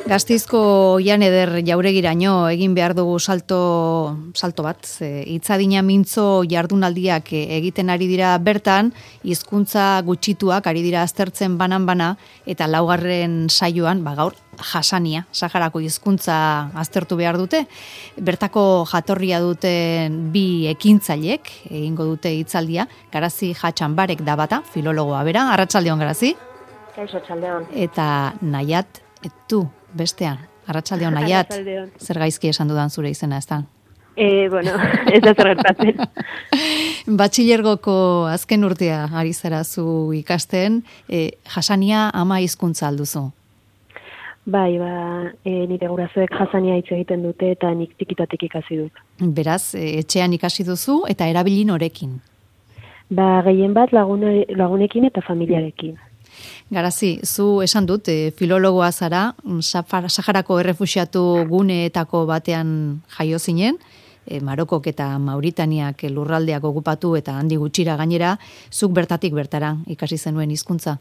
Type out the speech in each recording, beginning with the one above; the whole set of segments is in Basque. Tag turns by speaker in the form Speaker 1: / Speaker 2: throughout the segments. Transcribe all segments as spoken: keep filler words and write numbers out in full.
Speaker 1: Gasteizko Jan Eder Jauregiraino egin behar dugu salto, salto bat. Hitzadina mintzo jardunaldiak egiten ari dira bertan, hizkuntza gutxituak ari dira aztertzen banan-bana, eta laugarren saioan, ba gaur, jasania, Saharako hizkuntza aztertu behar dute. Bertako jatorria duten bi ekintzailek egingo dute hitzaldia. Garazi Jatxanbarek da bata, filologoa bera. Arratsaldeon, Garazi.
Speaker 2: Kaixo, arratsaldeon.
Speaker 1: Eta Naiat etu bestean. Arratsaldeon, Naiat. Zer gaizki esan dudan zure izena, ez da?
Speaker 2: Eh, bueno, ez da zer gertatzen.
Speaker 1: Batxilergoko azken urtea ari zara zu ikasten, e, jasania ama hizkuntza alduzu.
Speaker 2: Bai, ba, e, nire gurasoek jasania hitz egiten dute eta nik tikitatik ikasi dut.
Speaker 1: Beraz, e, etxean ikasi duzu eta erabili norekin?
Speaker 2: Ba, gehien bat lagune, lagunekin eta familiarekin.
Speaker 1: Garazi, zu esan dut, e, filologoa zara, Saharako errefuxiatu guneetako batean jaio zinen, e, Marokok eta Mauritaniak lurraldeak okupatu eta handi gutxira gainera, zuk bertatik bertara ikasi zenuen hizkuntza?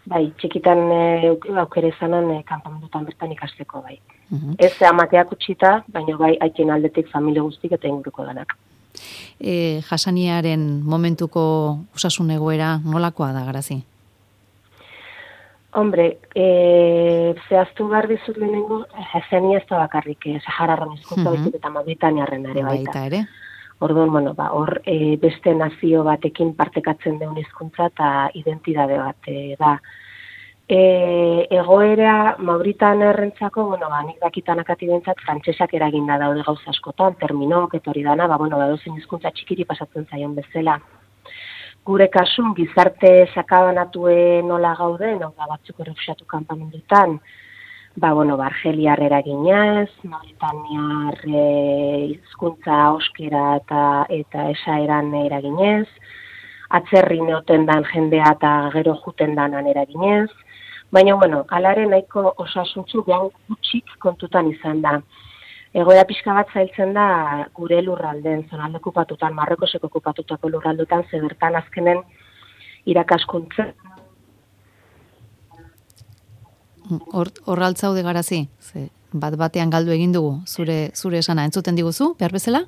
Speaker 2: Bai, txikitan e, aukere zanan e, kanpamendutan bertan ikasteko, bai. Uh-huh. Ez amateak utxita, baina bai haitien aldetik familia guztik eta inguruko danak.
Speaker 1: E, jasaniaren momentuko osasun egoera nolakoa da, Garazi?
Speaker 2: Hombre, e, zehaztu behar dizut lehenengo, jasania ez da bakarrik, eh, Sahararren hizkuntza baizik eta Mauritaniarren ere baita.
Speaker 1: Baita ere.
Speaker 2: Orduan, bueno, ba, hor e, beste nazio batekin partekatzen deun hizkuntza eta identitate bat e, da. E, egoera Mauritaniarrentzako, bueno, ba, nik dakitan akati bentzat, frantsesak eraginda daude gauza askotan, terminok, eta hori dana, ba, bueno, ba, dozen hizkuntza txikiri pasatzen zaion bezala. Gure kasun, gizarte sakabanatue nola gauden, hau da batzuk errefuxiatu kanpamendutan, ba, bueno, ba, Argeliar eraginez, Mauritaniar hizkuntza euskera eta, eta esaeran eraginez, atzerri neoten dan jendea eta gero juten danan eraginez, baina, bueno, alare nahiko osasuntzu gehan gutxik kontutan izan da. Egoera pixka bat zailtzen da gure lurralden, zonalde okupatutan, Marrokoseko okupatutako lurraldutan, ze bertan azkenen irakaskuntza.
Speaker 1: Hor, horraltzaude Garazi, ze bat batean galdu egin dugu, zure zure esana entzuten diguzu, behar bezala?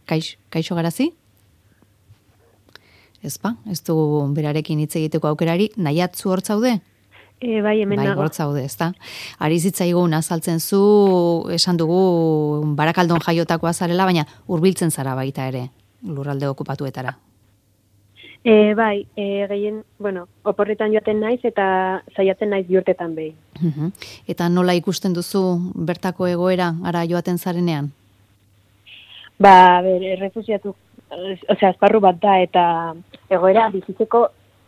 Speaker 1: Kaixo, kaixo Garazi? Ez ba, ez dugu berarekin hitz egiteko aukerari, Naiat zu hortzaude?
Speaker 2: E, bai, hemen
Speaker 1: bai,
Speaker 2: nago.
Speaker 1: Bai, hortzaude, ez da. Ari zitzaigun azaltzen zu, esan dugu, Barakaldon jaiotakoa zarela, baina hurbiltzen zara baita ere, lurralde okupatuetara.
Speaker 2: E, bai, e, gehien, bueno, oporretan joaten naiz eta saiatzen naiz biurtetan behin.
Speaker 1: Uh-huh. Eta nola ikusten duzu bertako egoera, ara joaten zarenean?
Speaker 2: Ba, ber, errefusiatu, osea, esparru bat da, eta egoera bizitzeko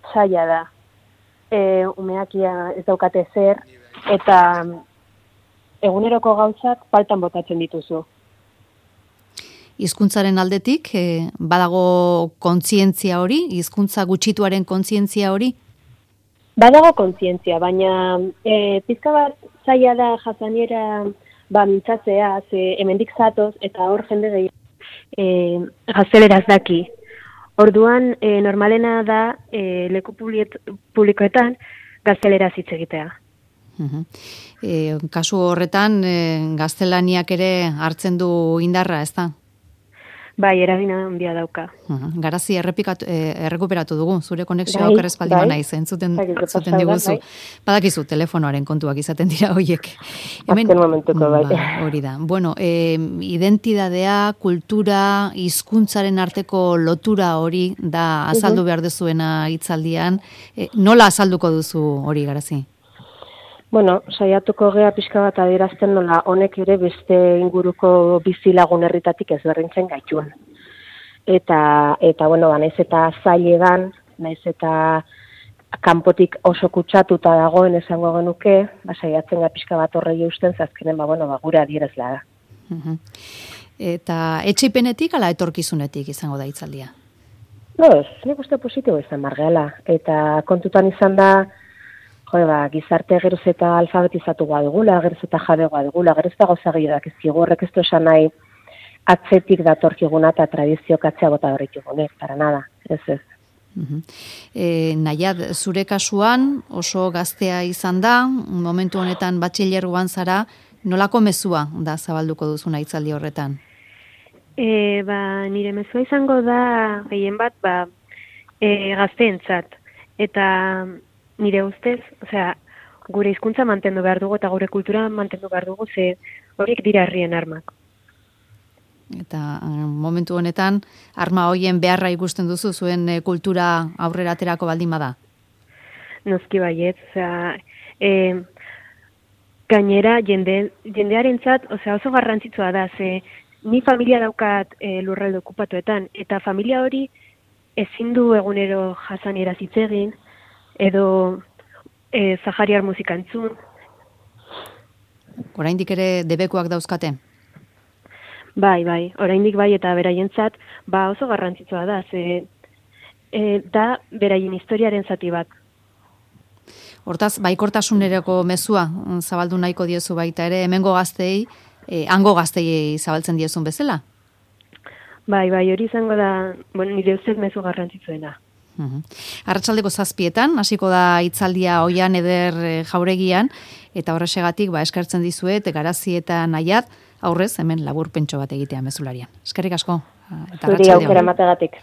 Speaker 2: zaila da. E, umeakia ez daukate zer, eta eguneroko gauzak faltan botatzen dituzu.
Speaker 1: Hizkuntzaren aldetik, e, badago kontzientzia hori, hizkuntza gutxituaren kontzientzia hori?
Speaker 2: Badago kontzientzia, baina e, pizka bat zaila da jasaniera ba, mintzatzea, ze hemendik zatoz, eta hor jende gehi e, gazteleraz daki. Orduan, e, normalena da e, leku publikoetan gazteleraz hitz egitea.
Speaker 1: Uh-huh. E, kasu horretan, e, gaztelaniak ere hartzen du indarra, ez da?
Speaker 2: Bai, eragina handia dauka.
Speaker 1: Uh-huh. Garazi errepikatu, e, errekuperatu dugu, zure konexioa
Speaker 2: bai,
Speaker 1: okerrezpaldi
Speaker 2: bai.
Speaker 1: naiz, entzuten,
Speaker 2: bai,
Speaker 1: entzuten diguzu. Bai. Badakizu, telefonoaren kontuak izaten dira hoiek.
Speaker 2: Hemen, azken momentuko, bai.
Speaker 1: Ba, hori da. Bueno, e, identidadea, kultura, hizkuntzaren arteko lotura hori da azaldu behar duzuena hitzaldian. E, nola azalduko duzu hori, Garazi?
Speaker 2: Bueno, saiatuko gea pixka bat adierazten nola honek ere beste inguruko bizilagun herritatik ezberdintzen gaituen. Eta, eta bueno, ba, naiz eta zailegan, naiz eta kanpotik oso kutsatuta dagoen esango genuke, ba, saiatzen ga pixka bat horrei eusten, zazkenen, ba, bueno, ba, gure adierazla da.
Speaker 1: Uh-huh. Eta etxipenetik ala etorkizunetik izango da hitzaldia?
Speaker 2: No, ez, nik uste positibo izan margeala. Eta kontutan izan da, jo, ba, gizarte geroz eta alfabetizatu dugula, geroz eta jabegoa dugula, geroz eta gauza gehiagoak ez digu, horrek ez du esan nahi atzetik datorkiguna eta tradizioak atzea bota horretigunek, para nada, ez ez.
Speaker 1: Uh-huh. E, nahiat, zure kasuan oso gaztea izan da, momentu honetan batxilergoan zara, nolako mezua da zabalduko duzuna hitzaldi horretan?
Speaker 3: E, ba, nire mezua izango da gehien bat ba, e, gazteentzat. Eta nire ustez, osea, gure hizkuntza mantendu behar dugu eta gure kultura mantendu behar dugu, ze horiek dira herrien armak.
Speaker 1: Eta momentu honetan, arma hoien beharra ikusten duzu zuen kultura aurrera aterako baldin bada?
Speaker 3: Noski baiet, osea, e, gainera jende, jendearentzat, osea, oso garrantzitsua da, ze ni familia daukat e, lurralde okupatuetan, eta familia hori ezin du egunero jasanieraz hitz egin, edo e, sahariar musika entzun.
Speaker 1: Oraindik ere debekuak dauzkate?
Speaker 3: Bai, bai, oraindik bai, eta beraientzat ba oso garrantzitsua da, ze e, da beraien historiaren zati bat.
Speaker 1: Hortaz, baikortasunerako mezua zabaldu nahiko diezu baita ere, hemengo gaztei, e, hango gaztei zabaltzen diezun bezala?
Speaker 3: Bai, bai, hori izango da, bueno, nire ustez mezu garrantzitsuena.
Speaker 1: Uhum. Arratsaldeko zazpietan, hasiko da hitzaldia Oian Eder Jauregian, eta horrexegatik ba, eskertzen dizuet, Garazi eta Nahiat, aurrez, hemen laburpentxo bat egitea mezularian. Eskerrik asko.
Speaker 2: Zuri aukera mategatik.